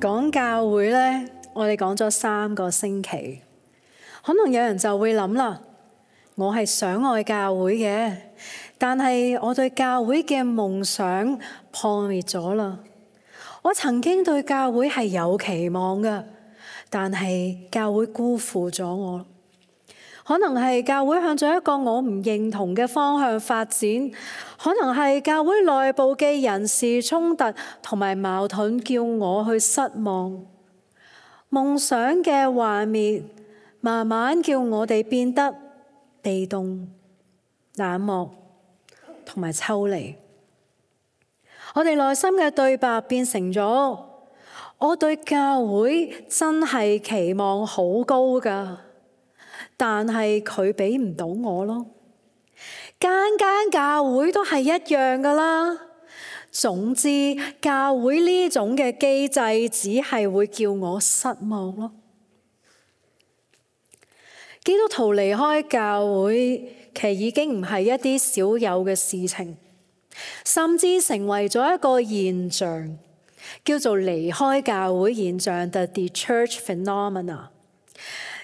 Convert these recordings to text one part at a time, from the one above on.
講教會呢，我哋講咗3個星期，可能有人就會諗啦，我係想愛教會嘅，但係我對教會嘅夢想破滅咗啦。我曾經對教會係有期望嘅，但係教會辜負咗我。可能係教會向咗一個我唔認同嘅方向發展，可能係教會內部嘅人事衝突同埋矛盾叫我去失望。夢想嘅幻滅慢慢叫我哋變得被動、冷漠同埋抽離。我哋內心嘅對白變成咗，我對教會真係期望好高㗎，但係佢俾唔到我咯。間教會都係一樣㗎啦。總之，教會呢種嘅機制只係會叫我失望咯。基督徒離開教會，其實已經唔係一啲少有嘅事情，甚至成為咗一個現象，叫做離開教會現象 The De-church Phenomena。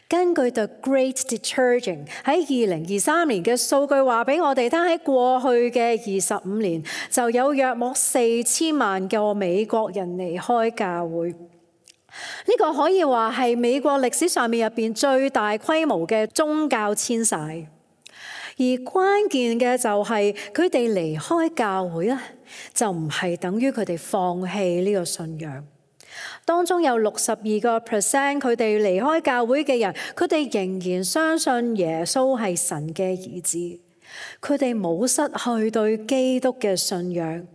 根據 The Great De-churching 喺2023年嘅數據話俾我哋聽，喺過去嘅25年就有約莫4000萬個美國人離開教會。呢個可以話係美國歷史上面入邊最大規模嘅宗教遷徙。而關鍵嘅就係佢哋離開教會咧，就唔係等於佢哋放棄呢個信仰。當中有62%佢哋離開教會嘅人，佢哋仍然相信耶穌係神嘅兒子。佢哋冇失去對基督嘅信仰，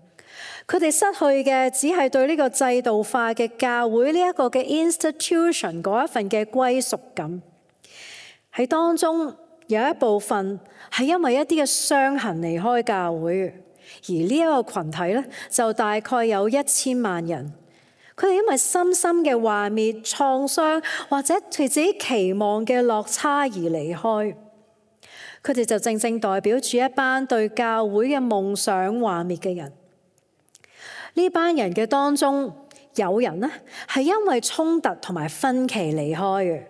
佢哋失去嘅只係對呢個制度化嘅教會呢一個嘅 institution 嗰一份嘅歸屬感。喺當中有一部分係因為一啲嘅傷痕離開教會，而呢一個群體咧就大概有1000萬人。佢哋因為深深嘅幻滅、創傷或者對自己期望嘅落差而離開，佢哋就正正代表住一班對教會嘅夢想幻滅嘅人。呢班人嘅當中，有人呢係因為衝突同埋分歧離開嘅。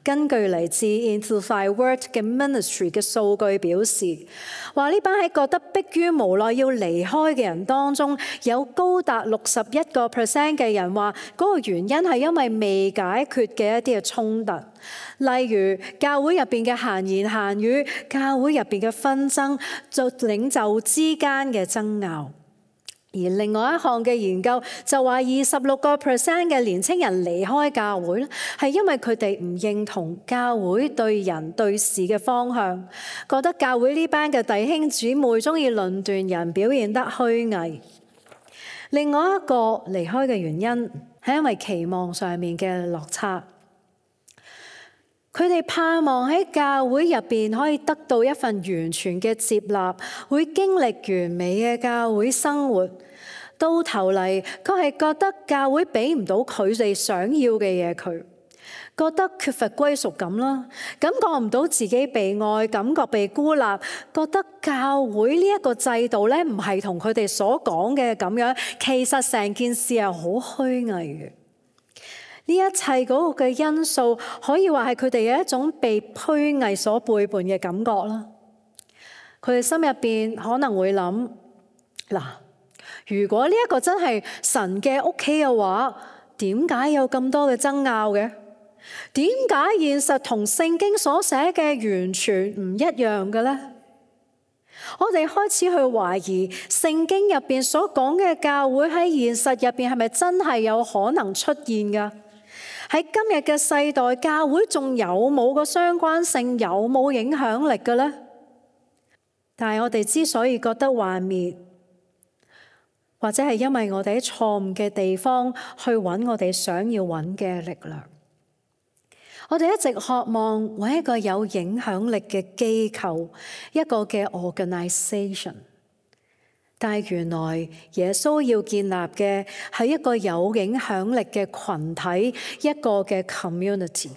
根據嚟自 Amplified Word 嘅 Ministry 嘅數據表示，話呢班喺覺得迫於無奈要離開嘅人當中，有高達61% 嘅人話嗰個原因係因為未解決嘅一啲嘅衝突，例如教會入邊嘅閒言閒語、教會入邊嘅紛爭、就領袖之間嘅爭拗。而另外一項嘅研究就話26% 嘅年青人離開教會咧，係因為佢哋唔認同教會對人對事嘅方向，覺得教會呢班嘅弟兄姊妹中意論斷人，表現得虛偽。另外一個離開嘅原因係因為期望上面嘅落差。佢哋盼望喺教會入邊可以得到一份完全嘅接納，會經歷完美嘅教會生活。到頭嚟，佢係覺得教會俾唔到佢哋想要嘅嘢，佢覺得缺乏歸屬感啦，感覺唔到自己被愛，感覺被孤立，覺得教會呢一個制度咧唔係同佢哋所講嘅咁樣，其實成件事係好虛偽嘅。呢一切嗰個嘅因素，可以話係佢哋有一種被虛偽所背叛嘅感覺啦。佢哋心入邊可能會諗：嗱，如果呢一個真係神嘅屋企嘅話，點解有咁多嘅爭拗嘅？點解現實同聖經所寫嘅完全唔一樣嘅呢？我哋開始去懷疑聖經入邊所講嘅教會喺現實入邊係咪真係有可能出現噶？喺今日嘅世代，教會仲有冇個相關性，有冇影響力嘅呢？但係我哋之所以覺得幻滅，或者係因為我哋喺錯誤嘅地方去揾我哋想要揾嘅力量。我哋一直渴望揾一個有影響力嘅機構，一個嘅 organization。但係原來耶穌要建立嘅係一個有影響力嘅群體，一個嘅 community。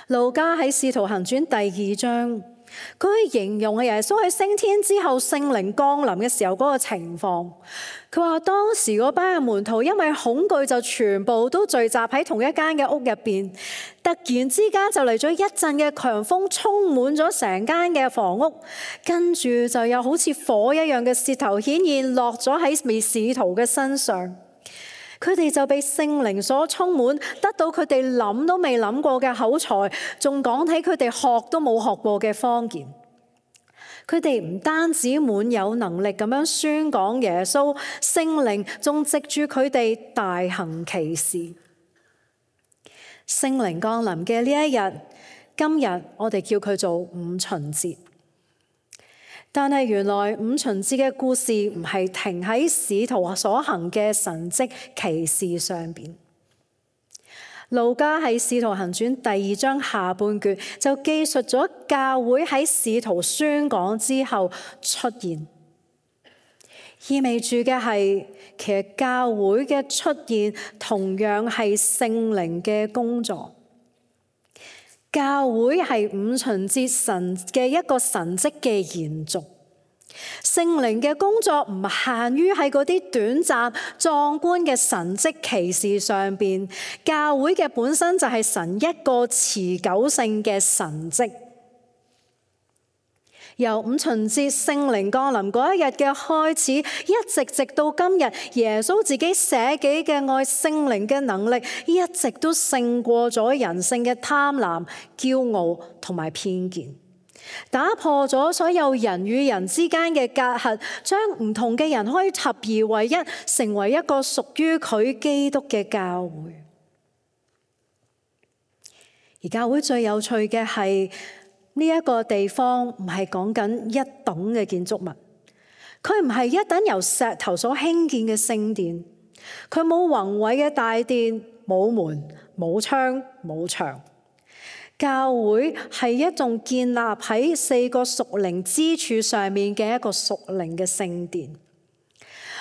路加喺《使徒行傳》第2章佢形容係耶穌喺升天之後聖靈降臨嘅時候嗰個情況。佢話當時嗰班嘅門徒因為恐懼就全部都聚集喺同一間嘅屋入邊，突然之間就嚟咗一陣嘅強風，充滿咗成間嘅房屋，跟住就有好似火一樣嘅舌頭顯現落咗喺使徒嘅身上。佢哋就被聖靈所充滿，得到佢哋諗都未諗過嘅口才，仲講起佢哋學都冇學過嘅方言。佢哋唔單止滿有能力咁樣宣講耶穌，聖靈仲藉住佢哋大行奇事。聖靈降臨嘅呢一日，今日我哋叫佢做五旬節。但係原來五旬節嘅故事唔係停喺使徒所行嘅神蹟奇事上邊。路加喺《使徒行傳》第2章下半段就記述咗教會喺使徒宣講之後出現，意味住嘅係其實教會嘅出現同樣係聖靈嘅工作。教會係五旬節神嘅一個神蹟嘅延續，聖靈嘅工作唔限於喺嗰啲短暫壯觀嘅神蹟奇事上邊，教會嘅本身就係神一個持久性嘅神蹟。由五旬節聖靈降臨嗰一日嘅開始，一直到今日，耶穌自己捨己嘅愛，聖靈嘅能力，一直都勝過咗人性嘅貪婪、驕傲同埋偏見，打破咗所有人與人之間嘅隔閡，將唔同嘅人可以合而為一，成為一個屬於佢基督嘅教會。而教會最有趣嘅係，呢一個地方唔係講緊一棟嘅建築物，佢唔係一棟由石頭所興建嘅聖殿，佢冇宏偉嘅大殿，冇門、冇窗、冇牆。教會係一棟建立喺4個屬靈支柱上面嘅一個屬靈嘅聖殿。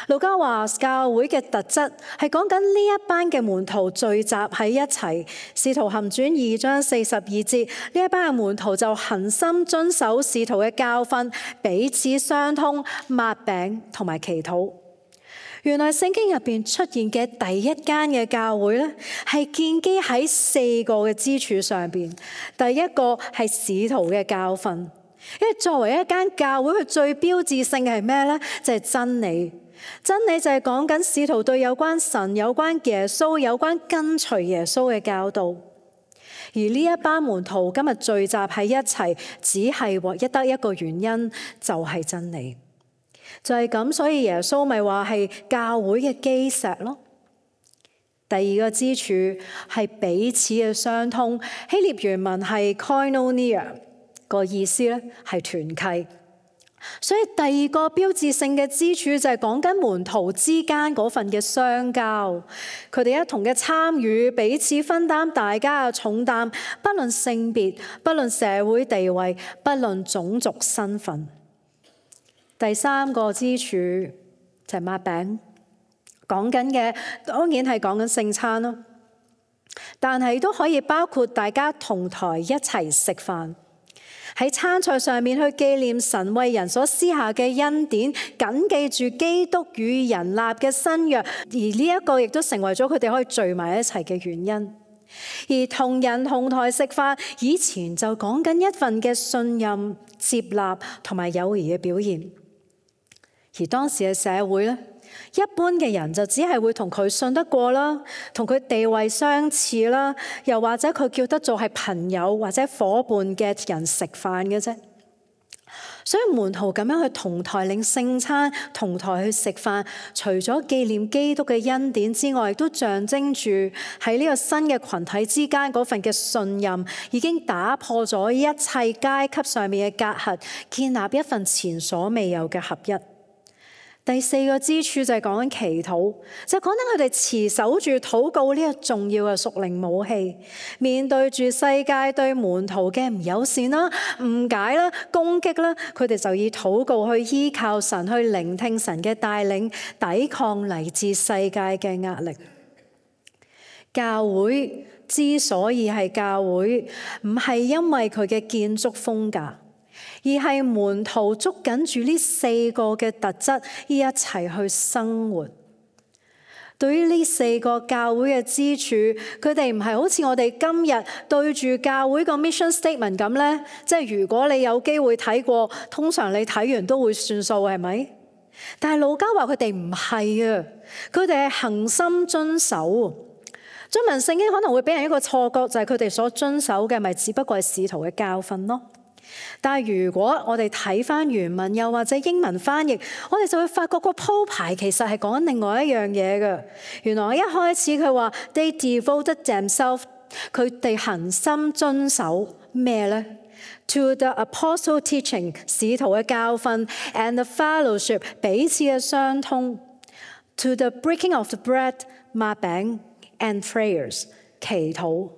路加話教會嘅特質係講緊呢一班嘅門徒聚集喺一齊。使徒行傳2章42節，呢一班嘅門徒就恆心遵守使徒嘅教訓，彼此相通，擘餅同埋祈禱。原來聖經入邊出現嘅第一間嘅教會咧，係建基喺4個嘅支柱上邊。第一個係使徒嘅教訓，因為作為一間教會，佢最標誌性嘅係咩咧？就係真理。真理就係講緊使徒對有關神、有關耶穌、有關跟隨耶穌嘅教導。而呢一班門徒今日聚集喺一齊，只係唯一得一個原因，就係真理。就係咁，所以耶穌咪話係教會嘅基石咯。第二個支柱係彼此嘅相通，希臘原文係 koinonia， 個意思咧係團契。所以第二個標誌性嘅支柱就係講緊門徒之間嗰份嘅相交，佢哋一同嘅參與，彼此分擔大家嘅重擔，不論性別，不論社會地位，不論種族身份。第三個支柱就係擘餅，講緊嘅當然係講緊聖餐咯，但係都可以包括大家同台一齊食飯。喺餐桌上面去紀念神為人所施下嘅恩典，緊記住基督與人立嘅新約，而呢一個亦都成為咗佢哋可以聚埋一齊嘅原因。而同人同台食飯，以前就講緊一份嘅信任、接納同埋友誼嘅表現。而當時嘅社會咧，一般嘅人就只係會同佢信得過啦，同佢地位相似啦，又或者佢叫得做係朋友或者夥伴嘅人食飯嘅啫。所以門徒咁樣去同台領聖餐，同台去食飯，除咗紀念基督嘅恩典之外，亦都象徵住喺呢個新嘅群體之間嗰份嘅信任，已經打破咗一切階級上面嘅隔閡，建立一份前所未有嘅合一。第四個支柱就係講緊祈禱，就係講緊佢哋持守住禱告呢個重要嘅屬靈武器，面對住世界對門徒嘅唔友善啦、誤解啦、攻擊啦，佢哋就以禱告去依靠神，去聆聽神嘅帶領，抵抗嚟自世界嘅壓力。教會之所以係教會，唔係因為佢嘅建築風格，而係門徒捉緊住呢4個嘅特質，一齊去生活。對於呢4個教會嘅支柱，佢哋唔係好似我哋今日對住教會個 mission statement 咁呢，即係如果你有機會睇過，通常你睇完都會算數，係咪？但係路加話佢哋唔係啊，佢哋係恆心遵守。中文聖經可能會俾人一個錯覺，就係佢哋所遵守嘅咪只不過係使徒嘅教訓咯。但係如果我哋睇翻原文又或者英文翻譯，我哋就會發覺個鋪排其實係講緊另外一樣嘢嘅。原來一開始佢話 They devoted themselves， 佢哋恆心遵守咩呢？ To the apostle teaching， 使徒嘅教訓 and the fellowship， 彼此嘅相通 To the breaking of the bread， 擘餅 and prayers， 祈禱。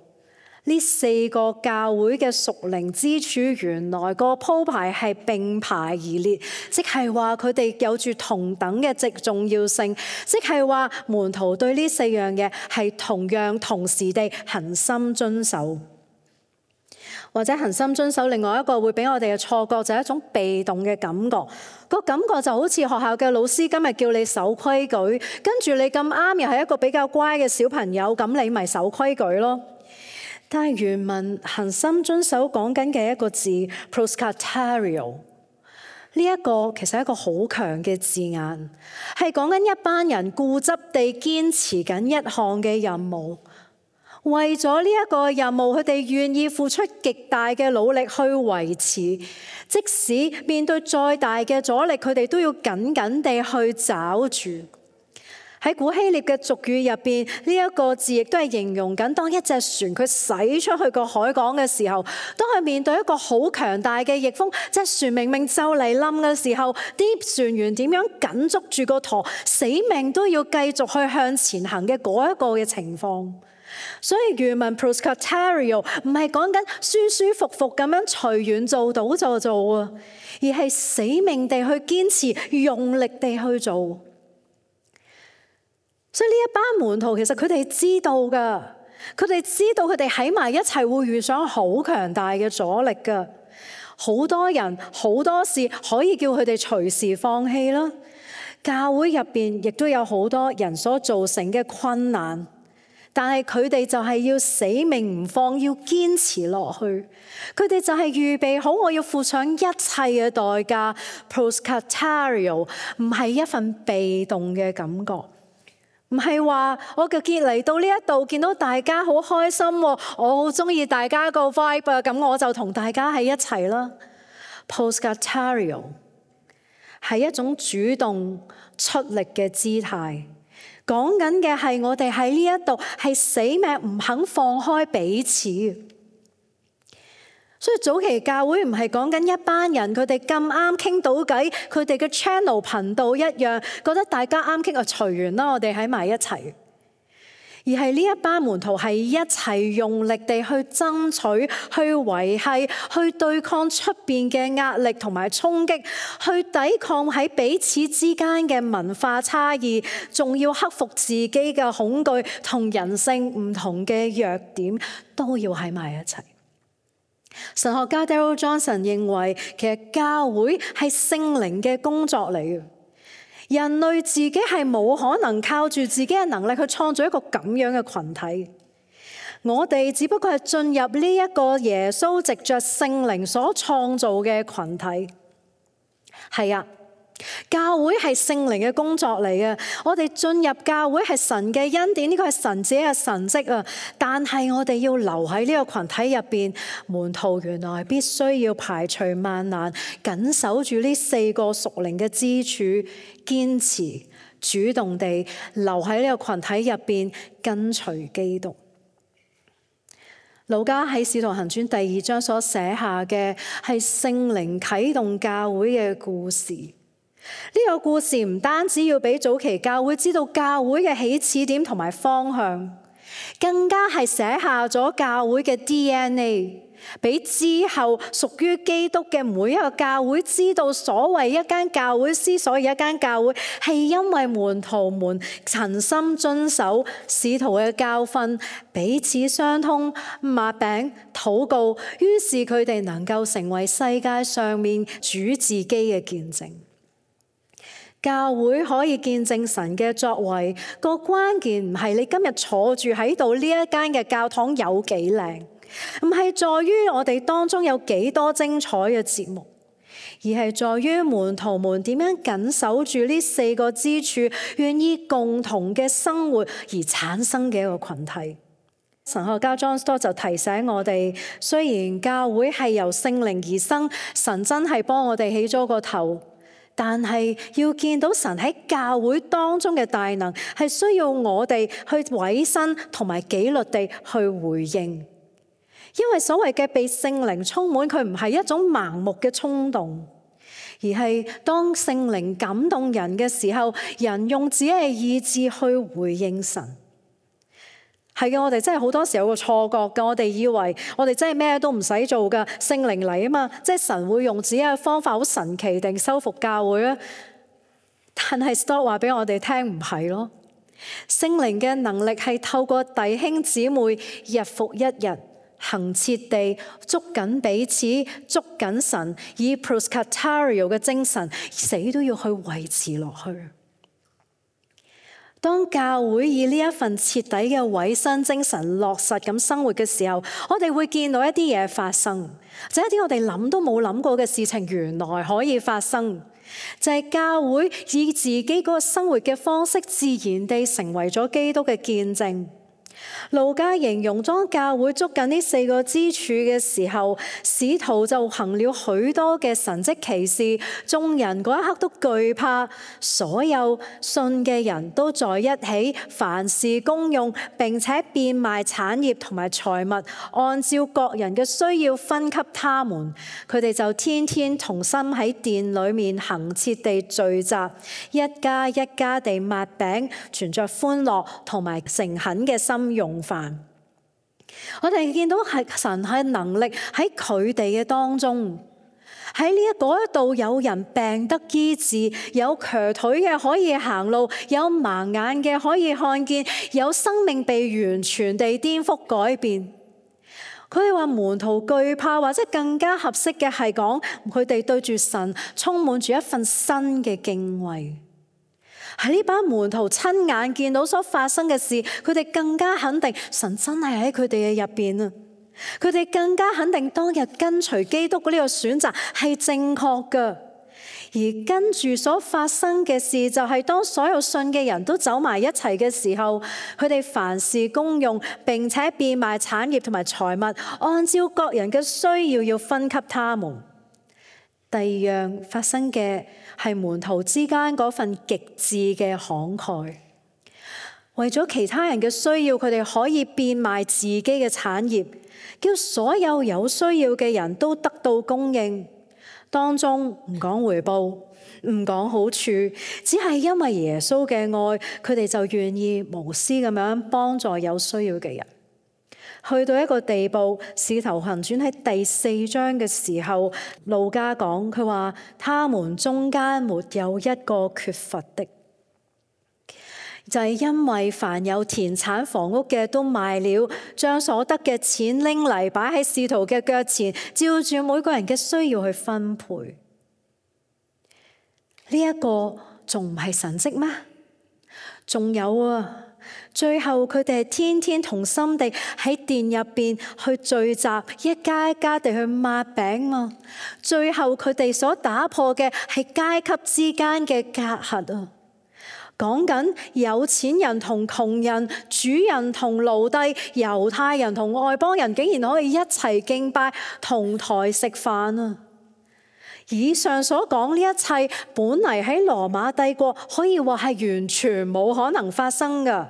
呢4個教會嘅屬靈支柱，原來個鋪排係並排而列，即係話佢哋有住同等嘅重要性，即係話門徒對呢4樣嘢係同樣同時地恆心遵守。或者恆心遵守，另外一個會俾我哋嘅錯覺就係一種被動嘅感覺，個感覺就好似學校嘅老師今日叫你守規矩，跟住你咁啱又係一個比較乖嘅小朋友，咁你咪守規矩咯。但係原文恆心遵守講緊嘅一個字 proskatario， 呢一個其實係一個好強嘅字眼，係講緊一班人固執地堅持緊一項嘅任務，為咗呢一個任務，佢哋願意付出極大嘅努力去維持，即使面對再大嘅阻力，佢哋都要緊緊地去抓住。喺古希臘嘅俗語入邊，呢一個字亦都係形容緊當一隻船佢駛出去個海港嘅時候，當佢面對一個好強大嘅逆風，隻船明明就嚟冧嘅時候，啲船員點樣緊捉住個舵，死命都要繼續去向前行嘅嗰一個嘅情況。所以原文 proskatario 唔係講緊舒舒服服咁樣隨緣做到就做啊，而係死命地去堅持，用力地去做。所以呢一班門徒其實佢哋知道㗎，佢哋知道佢哋喺埋一齊會遇上好強大嘅阻力㗎，好多人好多事可以叫佢哋隨時放棄啦。教會入邊亦都有好多人所造成嘅困難，但係佢哋就係要死命唔放，要堅持落去。佢哋就係預備好我要付上一切嘅代價。proskatario 唔係一份被動嘅感覺。唔係話我嘅結嚟到呢一度見到大家好開心，我好中意大家個 vibe 啊，咁我就同大家喺一齊啦。proskatario 係一種主動出力嘅姿態，講緊嘅係我哋喺呢一度係死命唔肯放開彼此。所以早期教會唔係講緊一班人，佢哋咁啱傾到偈，佢哋嘅 channel 頻道一樣，覺得大家啱傾就隨緣啦，我哋喺埋一齊。而係呢一班門徒係一齊用力地去爭取、去維繫、去對抗出邊嘅壓力同埋衝擊，去抵抗喺彼此之間嘅文化差異，仲要克服自己嘅恐懼同人性唔同嘅弱點，都要喺埋一齊。神學家 Darrell Johnson 認為，其實教會係聖靈嘅工作嚟嘅。人類自己係冇可能靠住自己嘅能力去創造一個咁樣嘅群體。我哋只不過係進入呢一個耶穌藉着聖靈所創造嘅群體。係啊。教會係聖靈嘅工作嚟嘅，我哋進入教會係神嘅恩典，呢個係神自己嘅神蹟啊！但係我哋要留喺呢個群體入邊，門徒原來必須要排除萬難，緊守住呢4個屬靈嘅支柱，堅持主動地留喺呢個群體入邊，跟隨基督。路加喺《使徒行傳》第2章所寫下嘅係聖靈啟動教會嘅故事。呢個故事唔單止要俾早期教會知道教會嘅起始點同埋方向，更加係寫下咗教會嘅 DNA， 俾之後屬於基督嘅每一個教會知道，所謂一間教會之所以一間教會，係因為門徒們誠心遵守使徒嘅教訓，彼此相通，擘餅禱告，於是佢哋能夠成為世界上面主自己嘅見證。教會可以見證神嘅作為，個關鍵唔係你今日坐住喺度呢一間嘅教堂有幾靚，唔係在於我哋當中有幾多精彩嘅節目，而係在於門徒們點樣緊守住呢4個支柱，願意共同嘅生活而產生嘅一個群體。神學家 John Stott 就提醒我哋，雖然教會係由聖靈而生，神真係幫我哋起咗個頭，但係要見到神喺教會當中嘅大能，係需要我哋去委身同埋紀律地去回應。因為所謂嘅被聖靈充滿，佢唔係一種盲目嘅衝動，而係當聖靈感動人嘅時候，人用自己嘅意志去回應神。係嘅，我哋真係好多時有個錯覺㗎，我哋以為我哋真係咩都唔使做㗎，聖靈嚟啊嘛，即係神會用自己嘅方法好神奇定修復教會啊。但係 Stott 話俾我哋聽唔係咯，聖靈嘅能力係透過弟兄姊妹日復一日恆切地捉緊彼此，捉緊神，以 proskatario 嘅精神，死都要去維持落去。當教會以呢一份徹底嘅委身精神落實咁生活嘅時候，我哋會見到一啲嘢發生，就係一啲我哋諗都冇諗過嘅事情原來可以發生，就係教會以自己嗰個生活嘅方式自然地成為咗基督嘅見證。路加形容當教會捉緊呢4個支柱嘅時候，使徒就行了許多嘅神蹟奇事，眾人嗰一刻都懼怕，所有信嘅人都在一起，凡事公用，並且變賣產業同埋財物，按照各人嘅需要分給他們。佢哋就天天同心喺殿裏面恆切地聚集，一家一家地擘餅，存着歡樂同埋誠懇嘅心用飯。我哋見到係神係能力喺佢哋嘅當中，喺呢一度有人病得醫治，有瘸腿嘅可以行路，有盲眼嘅可以看見，有生命被完全地顛覆改變。佢哋話門徒懼怕，或者更加合適嘅係講佢哋對住神充滿住一份新嘅敬畏。喺呢班門徒親眼見到所發生嘅事，佢哋更加肯定神真係喺佢哋嘅入邊啊！佢哋更加肯定當日跟隨基督嘅呢個選擇係正確嘅。而跟住所發生嘅事，就係當所有信嘅人都走埋一齊嘅時候，佢哋凡事公用，並且變賣產業同埋財物，按照各人嘅需要分給他們。第二樣發生嘅係門徒之間嗰份極致嘅慷慨，為咗其他人嘅需要，佢哋可以變賣自己嘅產業，叫所有有需要嘅人都得到供應。當中唔講回報，唔講好處，只係因為耶穌嘅愛，佢哋就願意無私咁樣幫助有需要嘅人。去到一個地步，使徒行傳喺第4章嘅時候，路加講佢話，他們中間沒有一個缺乏的，就係因為凡有田產房屋嘅都賣了，將所得嘅錢拎嚟擺喺使徒嘅腳前，照住每個人嘅需要去分配。呢一個仲唔係神蹟咩？仲有啊！最後佢哋係天天同心地喺殿入邊去聚集，一家一家地去擘餅啊！最後佢哋所打破嘅係階級之間嘅隔閡啊！講緊有錢人同窮人，主人同奴隸，猶太人同外邦人，竟然可以一齊敬拜，同台食飯啊！以上所講呢一切，本嚟喺羅馬帝國可以話係完全冇可能發生㗎，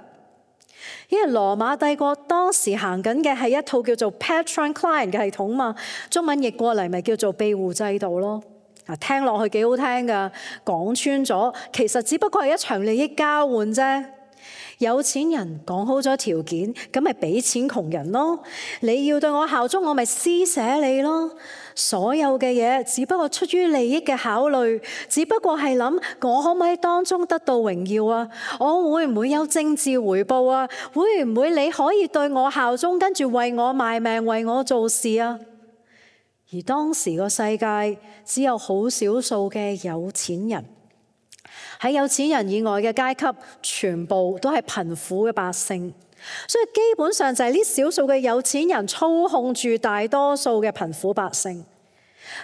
因為羅馬帝國當時行緊嘅係一套叫做 Patron-Client 嘅系統嘛，中文譯過嚟咪叫做庇護制度咯。聽落去幾好聽㗎，講穿咗其實只不過係一場利益交換啫。有錢人講好咗條件，咁咪俾錢窮人咯。你要對我效忠，我咪施捨你咯。所有嘅嘢只不過出於利益嘅考慮，只不過係諗我可唔可以當中得到榮耀啊？我會唔會有政治回報啊？會唔會你可以對我效忠，跟住為我賣命，為我做事啊？而當時個世界只有好少數嘅有錢人。喺有錢人以外嘅階級，全部都係貧苦嘅百姓，所以基本上就係呢少數嘅有錢人操控住大多數嘅貧苦百姓。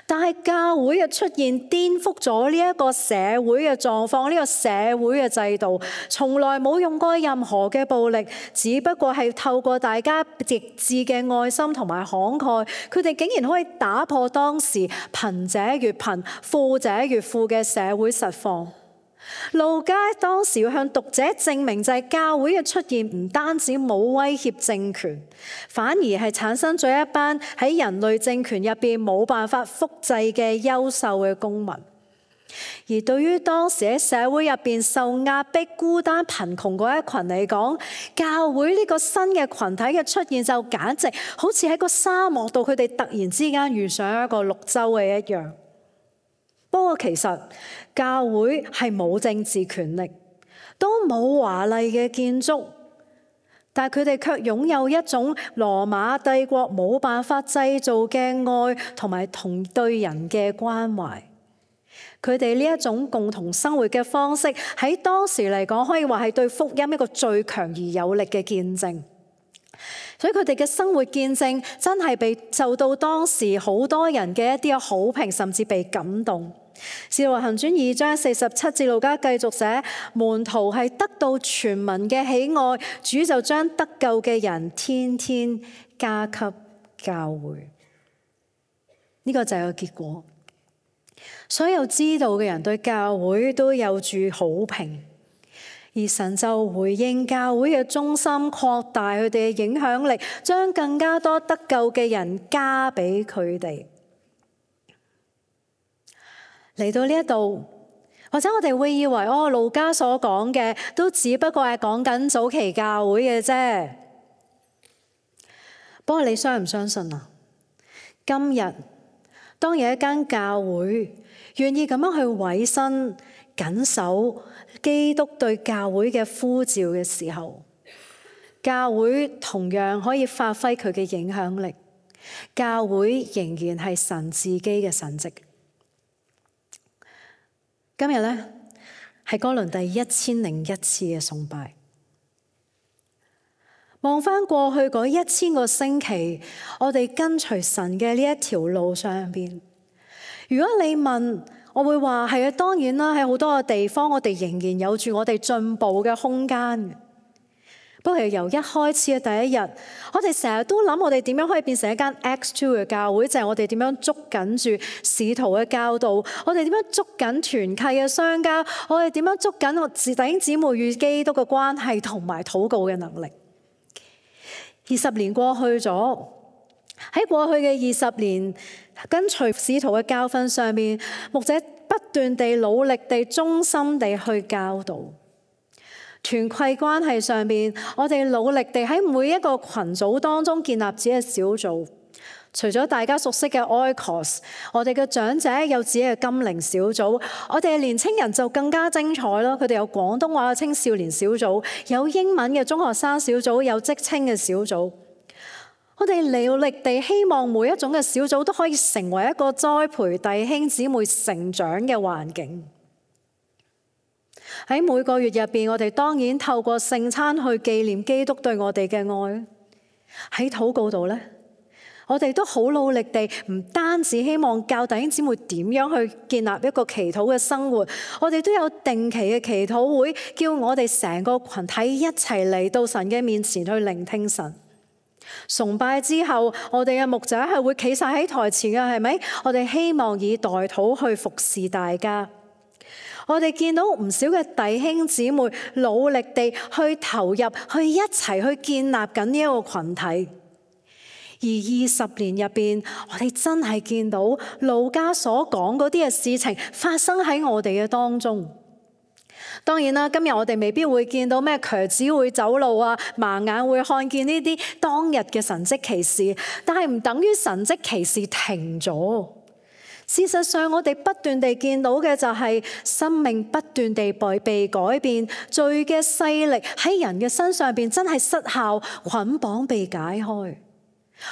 但係教會嘅出現顛覆咗呢一個社會嘅狀況，呢個社會嘅制度，從來冇用過任何嘅暴力，只不過係透過大家極致嘅愛心同埋慷慨，佢哋竟然可以打破當時貧者越貧、富者越富嘅社會實況。路加當時要向讀者證明，就係教會嘅出現唔單止冇威脅政權，反而係產生咗一班喺人類政權入邊冇辦法複製嘅優秀嘅公民。而對於當時喺社會入邊受壓迫、孤單、貧窮嗰一群嚟講，教會呢個新嘅群體嘅出現就簡直好似喺個沙漠度，佢哋突然之間遇上一個綠洲嘅一樣。不過其實教會係冇政治權力，都冇華麗嘅建築，但係佢哋卻擁有一種羅馬帝國冇辦法製造嘅愛同埋同對人嘅關懷。佢哋呢一種共同生活嘅方式，喺當時嚟講可以話係對福音一個最強而有力嘅見證。所以佢哋嘅生活見證真係被受到當時好多人嘅一啲好評，甚至被感動。使徒行傳2章47節，路加繼續寫，門徒係得到全民嘅喜愛，主就將得救嘅人天天加給教會。呢個就係個結果。所有知道嘅人對教會都有住好評，而神就回應教會嘅忠心，擴大佢哋嘅影響力，將更加多得救嘅人加俾佢哋。嚟到呢一度，或者我哋會以為路加所講嘅都只不過係講緊早期教會嘅啫。不過你相唔相信啊？今日當有一間教會願意咁樣去委身緊守基督對教會嘅呼召嘅時候，教會同樣可以發揮佢嘅影響力。教會仍然係神自己嘅神蹟。今日呢，係哥倫第1001次嘅崇拜。望返過去嗰1000個星期，我哋跟隨神嘅呢一條路上邊，如果你問，我會話係啊，當然啦，喺好多嘅地方，我哋仍然有住我哋進步嘅空間。不過由一開始嘅第一日，我哋成日都諗我哋點樣可以變成一間 X2 嘅教會，就係我哋點樣捉緊住使徒嘅教導，我哋點樣捉緊團契嘅相交，我哋點樣捉緊我弟兄姊妹與基督嘅關係同埋禱告嘅能力。20年過去咗，喺過去嘅20年，跟隨使徒嘅教訓上面，牧者不斷地努力地忠心地去教導。團契關係上面，我哋努力地喺每一個群組當中建立自己嘅小組。除咗大家熟悉嘅 Oikos， 我哋嘅長者有自己嘅金齡小組，我哋嘅年青人就更加精彩咯。佢哋有廣東話嘅青少年小組，有英文嘅中學生小組，有職青嘅小組。我哋努力地希望每一種嘅小組都可以成為一個栽培弟兄姊妹成長嘅環境。喺每個月入邊，我哋當然透過聖餐去紀念基督對我哋嘅愛。喺禱告度呢，我哋都好努力地，唔單止希望教弟兄姊妹點樣去建立一個祈禱嘅生活，我哋都有定期嘅祈禱會，叫我哋成個群體一齊嚟到神嘅面前去聆聽神。崇拜之後，我哋嘅牧者係會企晒喺台前嘅，係咪？我哋希望以代禱去服侍大家。我哋見到唔少嘅弟兄姊妹努力地去投入，去一齊去建立緊呢一個群體。而20年入邊，我哋真係見到路加所講嗰啲嘅事情發生喺我哋嘅當中。當然啦，今日我哋未必會見到咩瘸子會走路啊，盲眼會看見呢啲當日嘅神蹟奇事，但係唔等於神蹟奇事停咗。事實上，我哋不斷地見到嘅就係生命不斷地被改變，罪嘅勢力喺人嘅身上邊真係失效，捆綁被解開。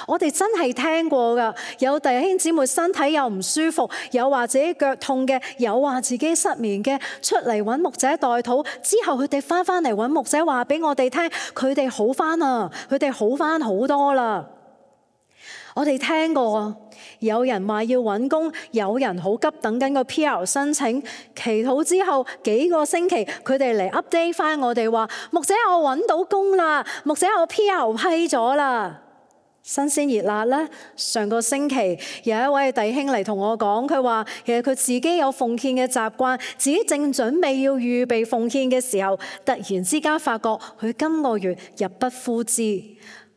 我哋真係聽過㗎，有弟兄姊妹身體又唔舒服，有話自己腳痛嘅，有話自己失眠嘅，出嚟揾牧者代禱之後，佢哋翻嚟揾牧者話俾我哋聽，佢哋好翻啦，佢哋好翻好多啦。我哋聽過有人話要揾工，有人好急等緊個 PR 申請，祈禱之後幾個星期，佢哋嚟 update 翻我哋話，牧者我揾到工啦，牧者我 PR 批咗啦。新鮮熱辣咧，上個星期有一位弟兄嚟同我講，佢話其實佢自己有奉獻嘅習慣，自己正準備要預備奉獻嘅時候，突然之間發覺佢今個月入不敷支。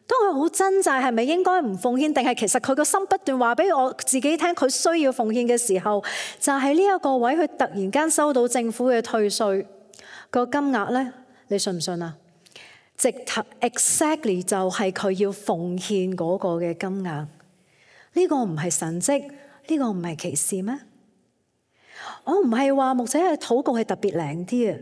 當佢好掙扎係咪應該唔奉獻，定係其實佢個心不斷話俾我自己聽佢需要奉獻嘅時候，就係呢一個位，佢突然間收到政府嘅退稅個金額咧，你信唔信啊？直頭 exactly 就係佢要奉獻嗰個嘅金額，呢個唔係神蹟，呢個唔係奇事咩？我唔係話牧者嘅禱告係特別靈啲啊，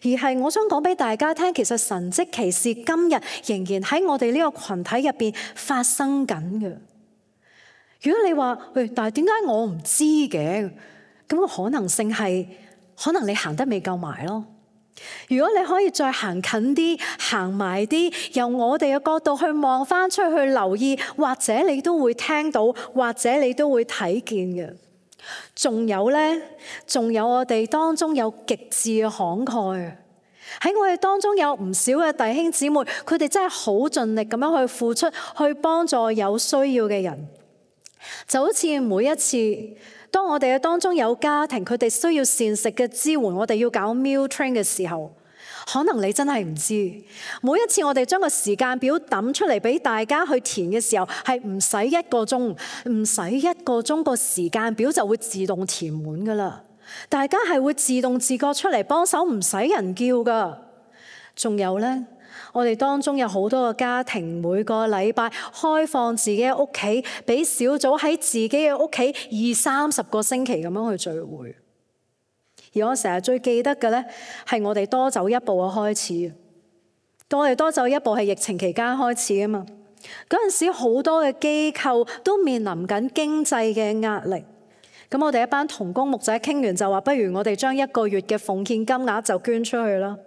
而係我想講俾大家聽，其實神蹟奇事今日仍然喺我哋呢個群體入邊發生緊嘅。如果你話但係點解我唔知嘅？咁個可能性係可能你行得未夠埋咯。如果你可以再行近啲，行埋啲，由我哋嘅角度去望翻出去留意，或者你都會聽到，或者你都會睇見嘅。仲有呢，仲有我哋當中有極致嘅慷慨，喺我哋當中有唔少嘅弟兄姊妹，佢哋真係好盡力咁樣去付出，去幫助有需要嘅人。就好似每一次當我哋嘅當中有家庭，佢哋需要膳食嘅支援，我哋要搞 meal train 嘅時候，可能你真係唔知，每一次我哋將個時間表抌出嚟俾大家去填嘅時候，係唔使1個鐘，唔使1個鐘，個時間表就會自動填滿噶啦。大家係會自動自覺出嚟幫手，唔使人叫噶。仲有呢，我哋當中有好多個家庭，每個禮拜開放自己嘅屋企，俾小組喺自己嘅屋企20-30個星期咁樣去聚會。而我成日最記得嘅呢，係我哋多走一步嘅開始。我哋多走一步係疫情期間開始啊嘛。嗰陣時好多嘅機構都面臨緊經濟嘅壓力。咁我哋一班同工牧者傾完就話，不如我哋將1個月嘅奉獻金額就捐出去啦。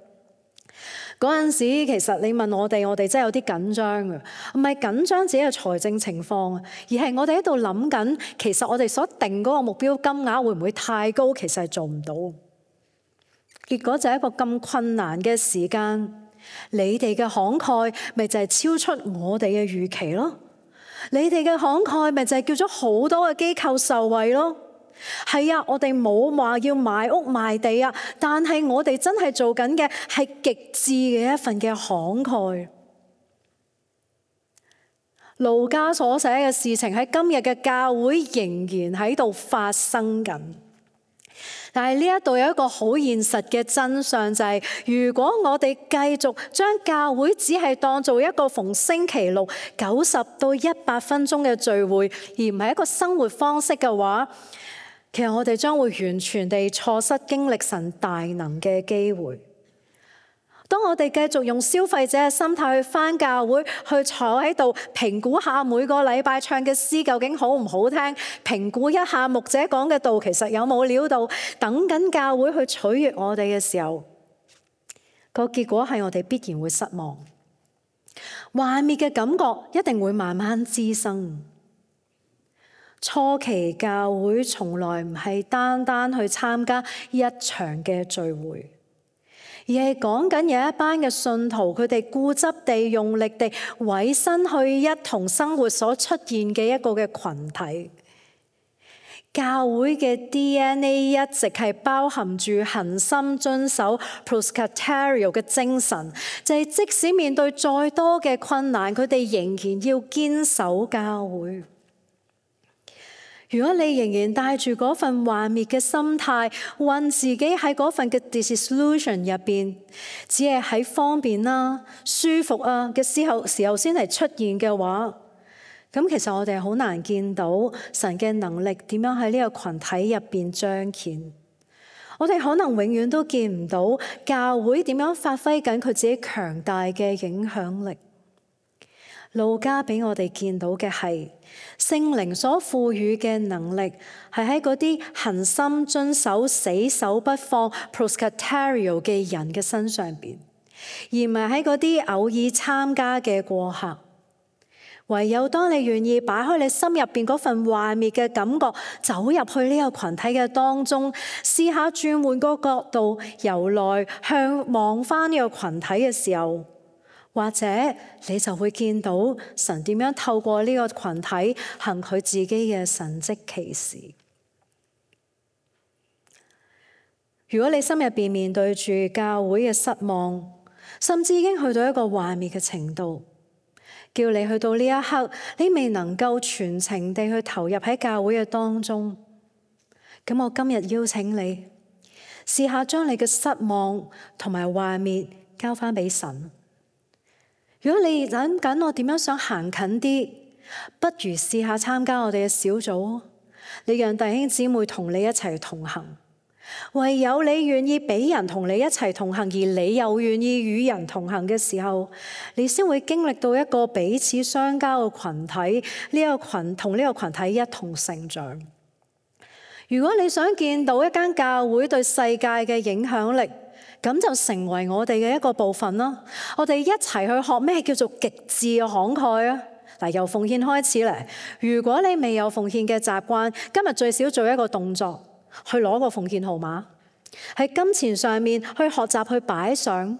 嗰陣時其實你問我哋真係有啲緊張嘅，唔係緊張自己嘅財政情況，而係我哋喺度諗緊，其實我哋所定嗰個目標金額會唔會太高？其實係做唔到。結果就係一個咁困難嘅時間，你哋嘅慷慨咪就係超出我哋嘅預期咯。你哋嘅慷慨咪就係叫咗好多嘅機構受惠咯。係啊，我哋冇話要買屋賣地啊，但係我哋真係做緊嘅係極致嘅一份嘅慷慨。路加所寫嘅事情喺今日嘅教會仍然喺度發生緊。但係呢一度有一個好現實嘅真相，就係如果我哋繼續將教會只係當做一個逢星期六90到100分鐘嘅聚會，而唔係一個生活方式嘅話，其實我哋將會完全地錯失經歷神大能嘅機會。當我哋繼續用消費者嘅心態去返教會，去坐喺度評估下每個禮拜唱嘅詩究竟好唔好聽，評估一下牧者講嘅道其實有冇料到，等緊教會去取悅我哋嘅時候，個結果係我哋必然會失望，幻滅嘅感覺一定會慢慢滋生。初期教會從來唔係單單去參加一場嘅聚會，而係講緊有一班嘅信徒，佢哋固執地用力地委身去一同生活所出現嘅一個嘅群體。教會嘅 DNA 一直係包含住恆心遵守 Presbyterian 嘅精神，就係即使面對再多嘅困難，佢哋仍然要堅守教會。如果你仍然帶住嗰份幻滅嘅心態，困自己喺嗰份嘅 disillusion 入邊，只係喺方便啦、舒服啊嘅時候先係出現嘅話，咁其實我哋係好難見到神嘅能力點樣喺呢個群體入邊彰顯。我哋可能永遠都見唔到教會點樣發揮緊佢自己強大嘅影響力。路加俾我哋見到嘅係聖靈所賦予嘅能力，係喺嗰啲恆心遵守、死守不放 proskyterio 嘅人嘅身上邊，而唔係喺嗰啲偶爾參加嘅過客。唯有當你願意擺開你心入邊嗰份幻滅嘅感覺，走入去呢個群體嘅當中，試下轉換個角度，由內向望翻呢個群體嘅時候，或者你就會見到神點樣透過呢個群體行佢自己嘅神蹟奇事。如果你心入邊面對住教會嘅失望，甚至已經去到一個幻滅嘅程度，叫你去到呢一刻，你未能夠全程地去投入喺教會嘅當中，咁我今日邀請你試下將你嘅失望同埋幻滅交翻俾神。如果你諗緊我點樣想行近啲，不如試下參加我哋嘅小組，你讓弟兄姊妹同你一齊同行。唯有你願意俾人同你一齊同行，而你又願意與人同行嘅時候，你先會經歷到一個彼此相交嘅群體，同呢個群體一同成長。如果你想見到一間教會對世界嘅影響力，咁就成為我哋嘅一個部分啦。我哋一齊去學咩叫做極致嘅慷慨啊！嗱，由奉獻開始嚟。如果你未有奉獻嘅習慣，今日最少做一個動作，去攞個奉獻號碼，喺金錢上面去學習去擺上，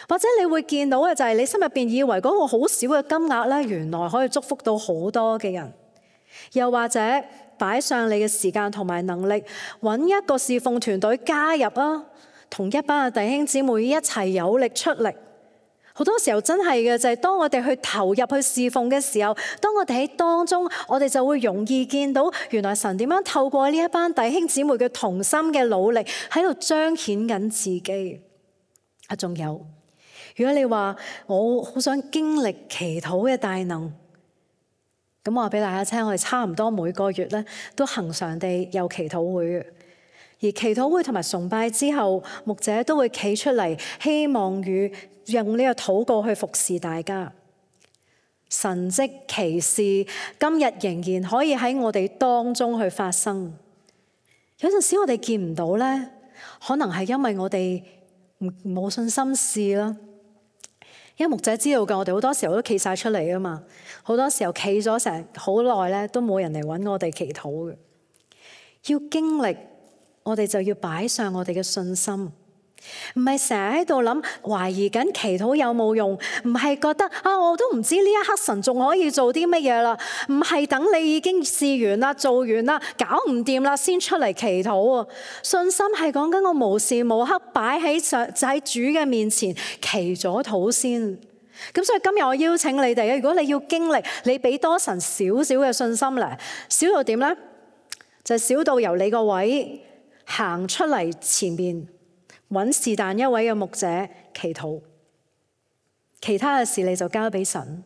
或者你會見到嘅就係你心入邊以為嗰個好少嘅金額咧，原來可以祝福到好多嘅人。又或者擺上你嘅時間同埋能力，揾一個侍奉團隊加入啊，同一班嘅弟兄姊妹一齊有力出力。好多時候真係嘅就係當我哋去投入去侍奉嘅時候，當我哋喺當中，我哋就會容易見到原來神點樣透過呢一班弟兄姊妹嘅同心嘅努力喺度彰顯緊自己。仲有，如果你話我好想經歷祈禱嘅大能，咁我話俾大家聽，我哋差唔多每個月咧都恆常地有祈禱會嘅。而祈禱會同埋崇拜之後，牧者都會企出嚟，希望用呢個禱告去服侍大家。神蹟奇事今日仍然可以喺我哋當中去發生。有陣時我哋見唔到咧，可能係因為我哋冇信心試啦。因為牧者知道嘅，我哋好多時候都企晒出嚟啊嘛，好多時候企咗成好耐咧，都冇人嚟揾我哋祈禱嘅。要經歷，我哋就要擺上我哋嘅信心，唔係成日喺度諗懷疑緊祈禱有冇用，唔係覺得我都唔知呢一刻神仲可以做啲乜嘢啦，唔係等你已經試完啦、做完啦、搞唔掂啦先出嚟祈禱啊！信心係講緊我無時無刻擺喺主嘅面前祈咗禱先。咁所以今日我邀請你哋，如果你要經歷，你俾多神少少嘅信心咧，少到點咧？就係少到由你個位行出嚟前面，揾是但一位嘅牧者祈禱，其他嘅事你就交俾神。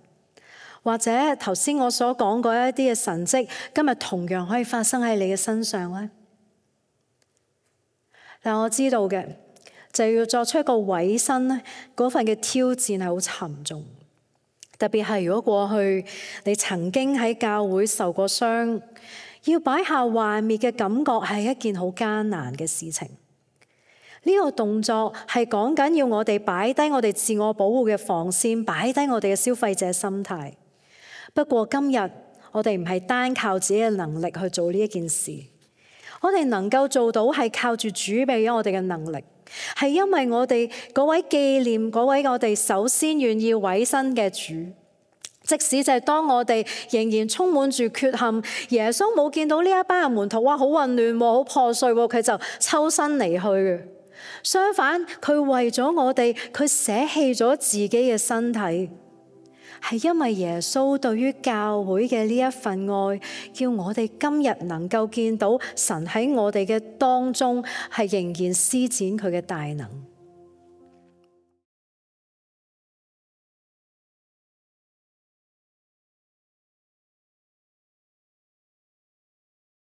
或者頭先我所講過一啲嘅神蹟，今日同樣可以發生喺你嘅身上咧。但我知道嘅就要作出一個委身咧，嗰份嘅挑戰係好沉重。特別係如果過去你曾經喺教會受過傷，要擺下幻滅嘅感覺係一件好艱難嘅事情。呢個動作係講緊要我哋擺低我哋自我保護嘅防線，擺低我哋嘅消費者心態。不過今日我哋唔係單靠自己嘅能力去做呢一件事，我哋能夠做到係靠住主俾咗我哋嘅能力，係因為我哋嗰位紀念嗰位我哋首先願意委身嘅主。即使就係當我哋仍然充滿住缺陷，耶穌冇見到呢一班嘅門徒，哇，好混亂，好破碎，佢就抽身離去嘅。相反，佢為咗我哋，佢捨棄咗自己嘅身體，係因為耶穌對於教會嘅呢一份愛，叫我哋今日能夠見到神喺我哋嘅當中係仍然施展佢嘅大能。